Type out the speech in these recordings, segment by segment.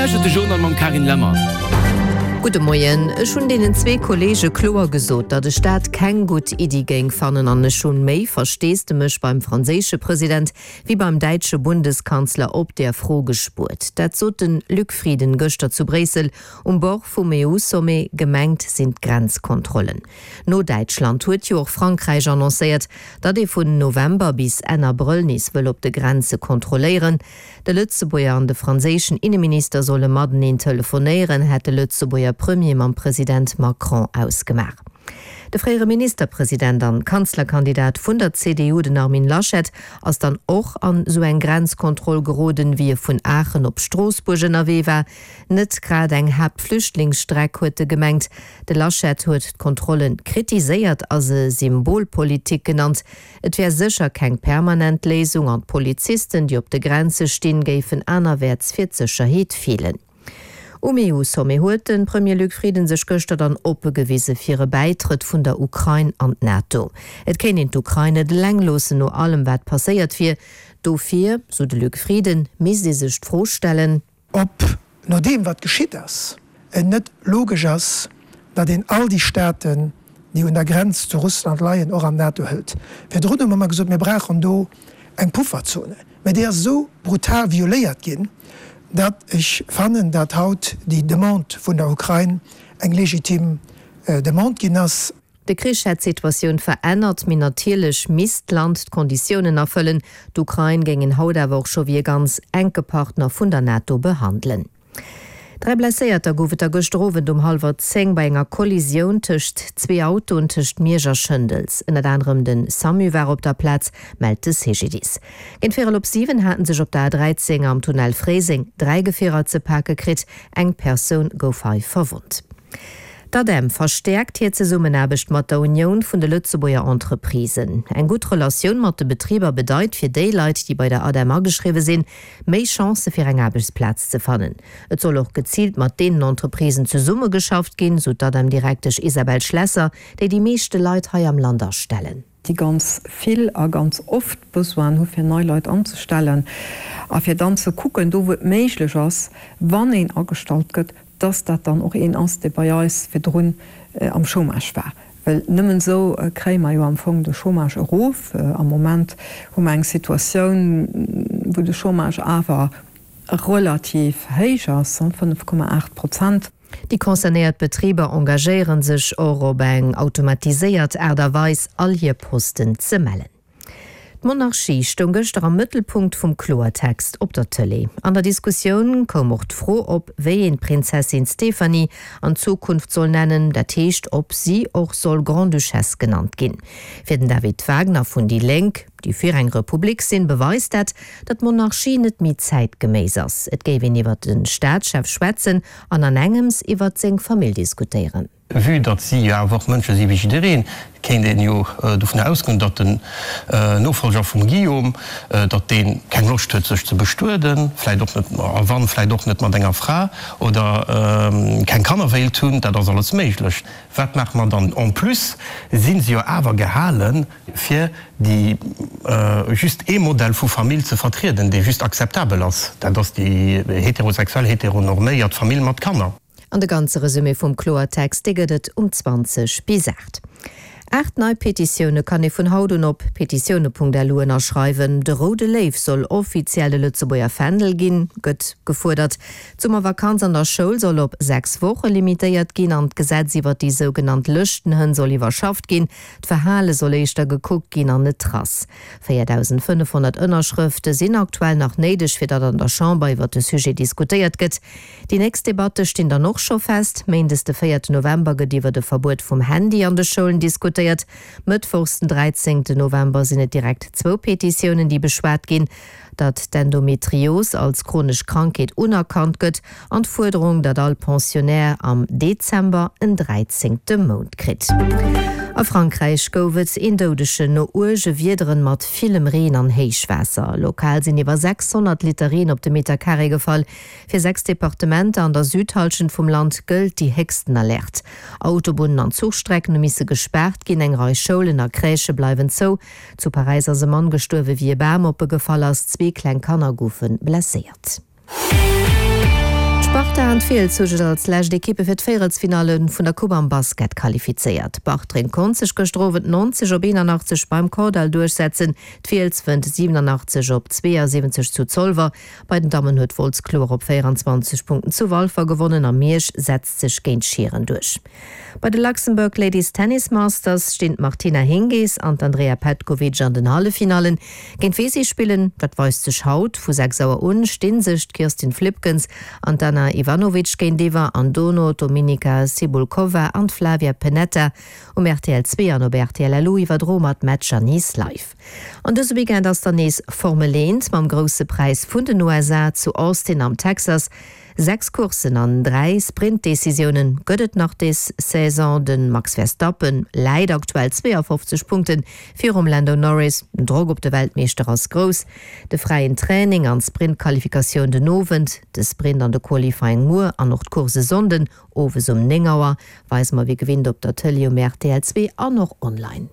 lauschtert de Journal mam Carine Lemmer. Gudde Moien. Ech hunn deenen zwee Kolleege kloer gesot, datt ech dat keng gutt Iddi géing fannen an ech hunn méi Versteesdemech beim franséische President wéi beim däitsche Bundeskanzler op där Fro gespuert. Dat sot de Luc Frieden gëschter zu Bréissel um Bord vum EU-Sommet. Gemengt sinn d'Grenzkontrollen. No Däitschland huet jo och Frankräich annoncéiert, datt ee vun November bis Enn Abrëll nees wëll op de Grenze kontrolléieren. De Lëtzebuerger an de franséischen Inneminister solle mateneen telefonéieren, hätt de Lëtzebuerger Premier mam President Macron ausgemaach. De fréiere Ministerpresident an Kanzlerkandidat vun der CDU, den Armin Laschet, ass dann och an esou eng Grenzkontroll geroden, wéi e vun Aachen op Stroossbuerg ënnerwee war. Net grad eng Haaptflüchtlingsstreck, huet e gemengt. De Laschet huet d'Kontrolle kritiséiert a se Symbolpolitik genannt. Et wär sécher keng permanent Léisung an d'Polizisten, déi op de Grenze stinn, géifen anerwäerts fir d'Sécherheet feelen. Um EU-Sommet huet de Premier Luc Frieden sech gëschter dann oppe gewise fir e Bäitrëtt vun der Ukrain an d'NATO. Et kéint een d'Ukrain net eleng loossen no allem wat passéiert wier. Dofir, sou de Luc Frieden, misst ee sech d'Fro stellen, Ob no deem wat geschitt ass, et net logesch ass, datt een all déi Staaten, déi un der Grenz zu Russland leien, och an d'NATO hëlt. Virdrun hu mer ëmmer gesot, mir brauchen do eng Pufferzone, mä déi ass esou brutal violéiert ginn, datt ech fannen, datt haut déi Demande vun der Ukrain eng legitim Demande ginn ass. De Krich hätt d'Situatioun verännert, mee natierlech misst d'Land d'Konditiounen erfëllen. D'Ukrain géing een haut awer och scho wéi e ganz enke Partner vun der NATO behandelen. 3 Blesséierter gouf et da gëschter Owend um hallwer 10 bei enger Kollisioun tëscht zwee Autoen tëscht Miersch a Schëndels. Ënnert anerem de Samu war op der Plaz, mellt de CGDIS. Géint véierel op 7 haten sech op der A13 am Tunnel Fréiseng 3 Gefierer ze pake kritt. Eng Persoun gouf hei verwonnt. D'ADEM verstäerkt hir Zesummenaarbecht mat der Unioun vun de Lëtzebuerger Entreprisen. Eng gutt Relatioun mat de Betriber bedeit fir déi Leit, déi bei der ADEM ageschriwwe sinn, méi Chancë fir eng Aarbechtsplaz ze fannen. Et soll och geziilt mat deenen Entreprisen zesummegeschafft ginn, sou d'ADEM-Direktesch Isabelle Schlesser, déi déi meeschte Leit hei am Land astellen. déi ganz vill a ganz oft Besoinen hu fir nei Leit anzestellen a fir dann ze kucken, do wou et méiglech ass, wann een agestallt gëtt, dass dat dann och een ass, dee bei eis virdrun am Chômage war. Well nëmmen esou kréie mer jo am Fong de Chômage erof. Am Moment hu mer eng Situatioun, wou de Chômage awer relativ héich ass, 5,8 Prozent. Déi concernéiert Betriber engagéiere sech och op eng automatiséiert Aart a Weis all hir Posten ze mellen. D'Monarchie stoung gëschter am Mëttelpunkt vum Kloertext op der Tëlee. An der Diskussioun koum och d'Fro op, wéi een d'Prinzessin Stéphanie an Zukunft soll nennen, dat heescht, ob si och soll Grande-Duchesse genannt ginn. Fir den David Wagner vun déi Lénk, déi fir eng Republik sinn, beweist dat, datt d'Monarchie net méi zäitgeméiss ass. Et géif een iwwer de Staatschef schwätzen an an engems iwwer seng Famill diskutéieren. Vue datt si jo awer och Mënsche si wéi jiddereen, kéint een jo dovun ausgoen, datt den Nofolger vum Guillaume, datt dee keng Loscht huet sech ze bestueden, vläit och net, a wann, vläit och net mat enger Fra, oder keng Kanner wéilt hunn. Dat ass alles méiglech. Wat maache mer dann? En plus si se jo awer gehalen, fir déi just ee Modell vu Famill ze vertrieden, dee just akzeptabel ass, dat ass déi heterosexuell, heteronorméiert Famill mat Kanner. An de ganze Resumé vum Kloertext, dee gëtt et um 20 bis 8. 8 nei Petitioune kann ee vun haut un op petitioune.lu ënnerschreiwen. De roude Léiw soll offiziell de Lëtzebuerger Fändel ginn, gëtt gefuerdert. D'Summervakanz an der Schoul soll op 6 Woche limitéiert ginn an d'Gesetz iwwer déi sougenannt Lëschtenhënn soll iwwerschafft ginn. D'Verhale soll éischter gekuckt ginn an net d'Rass. 4.500 Ënnerschrëfte sinn aktuell nach néideg, fir datt an der Chamber iwwer de Sujet diskutéiert gëtt. Déi nächst Debatte stinn dann och scho fest. Méindes de 4 November gëtt iwwert e Verbuet vum Handy an de Schoulen diskutéiert. Mëttwochs den 13 November sinn et direkt zwou Petitiounen, déi beschwat ginn, datt d'Endometrios als chronesch Krankheet unerkannt gëtt an d'Fuerderung, datt all Pensionnaire am Dezember en dräizéngte Mount kritt. A Frankräich gouf et een Doudegen no uerge Wiederen mat villem Reen an Héichwaasser. Lokal sinn iwwer 600 Liter Reen op de Meter Carré gefall. Fir 6 Departementer an der Südhallschent vum Land gëllt déi héchsten Alerte. Autobunnen an Zuchstrecken hu misse gespaart ginn, eng Rei Schoulen a Crèchë bleiwen zou. Zu Paräis ass e Mann gestuerwe wéi e Bam op e gefall ass, zwee kleng Kanner goufe blesséiert. D'Sparta an d'Fiels hu sech als lescht Ekippe fir d'Véierelsfinalle vun der Coupe am Basket qualifizéiert. Bartreng konnt sech gëschter Owend 90 op 81 beim Kordall duerchsetzen, d'Fiels wënnt 87 op 72 zu Zolwer. Bei den Dammen huet Wolz kloer op 24 Punkten zu Walfer gewonnen a Miersch setzt sech géint Schieren duerch. Bei de Luxembourg Ladies Tennis Masters stinn d'Martina Hingis an d'Andrea Petkovic an den Halleffinallen. Géint wee si spillen, dat weist sech haut. Vu 6 Auer un sti sech d'Kirstin Flipkens an d'Ana Ivanovic géintiwwer an dono d'Dominika Cibulkova an d'Flavia Pennetta. Um rtl 2 an op rtl LU iwwerdroe mer d'Matcher nees live. An dëse Weekend ass dann nees Formel 1 mam Grousse Präis vun den USA zu Austin am Texas. 6 Courssen an 3 Sprint-Decisioune gëtt et nach des Saison. De Max Verstappen läit aktuell 52 Punkte virum Lando Norris. Den Drock op de Weltmeeschter ass grouss. De fräien Training an d'Sprint-Qualifikatioun den Owend, de Sprint an de Qualifying muer an och d'Course e Sonnden owes um 9 Auer weise mer wéi gewinnt op der Tëlee um rtl 2 an och online.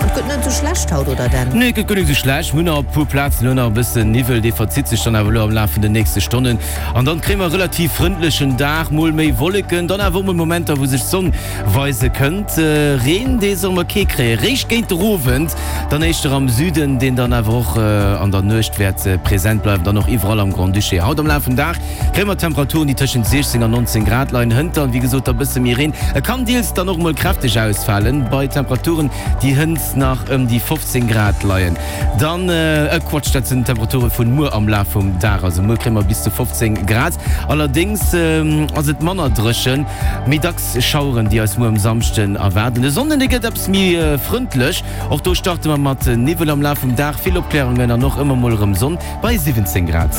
Et gëtt net esou schlecht haut, oder Dan? Nee, et gëtt guer net esou schlecht. Mir hunn nach op e puer Plazen elo nach e bëssen Niwwel, dee verzitt sech dann awer elo am Laf vun den nächste Stonnen. An dann kréie mer e relativ frëndlechen Dag, mol méi Wolleken, dann awer och mol Momenter, wou sech d'Sonn weise kënnt. Reen, dee solle mer kee kréien, réischt géint de Owend, dann éischter am Süden, deen dann awer och an der Nuecht wäert present bleiwen, dann och iwwerall am Grand-Duché. Haut am Laf vum Dag Kréie mer Temperaturen, déi tëschent 16 an 19 Grad leien. Hënt dann, wéi gesot, da bësse méi Reen. E kann deels dann och mol kräfteg ausfalen, bei Temperaturen, déi hënt nach ëm déi 15 Grad leien. Dann, äh Quatsch, dat sinn d'Temperature vun muer am Laf vum Dag. Also muer kréie mer bis zu 15 Grad. Allerdéngs ass et manner dréchen, méi dacks Schaueren, déi eis muer um Samschden erwaarden. De Sonnden, dee gëtt eppes méi frëndlech. Och do starte mer mat Niwwel am Laf vum Dag, vill Opklärungen an och ëmmer mol erëm Sonn. Bei 17 Grad.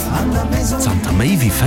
Zanter méi wéi 4.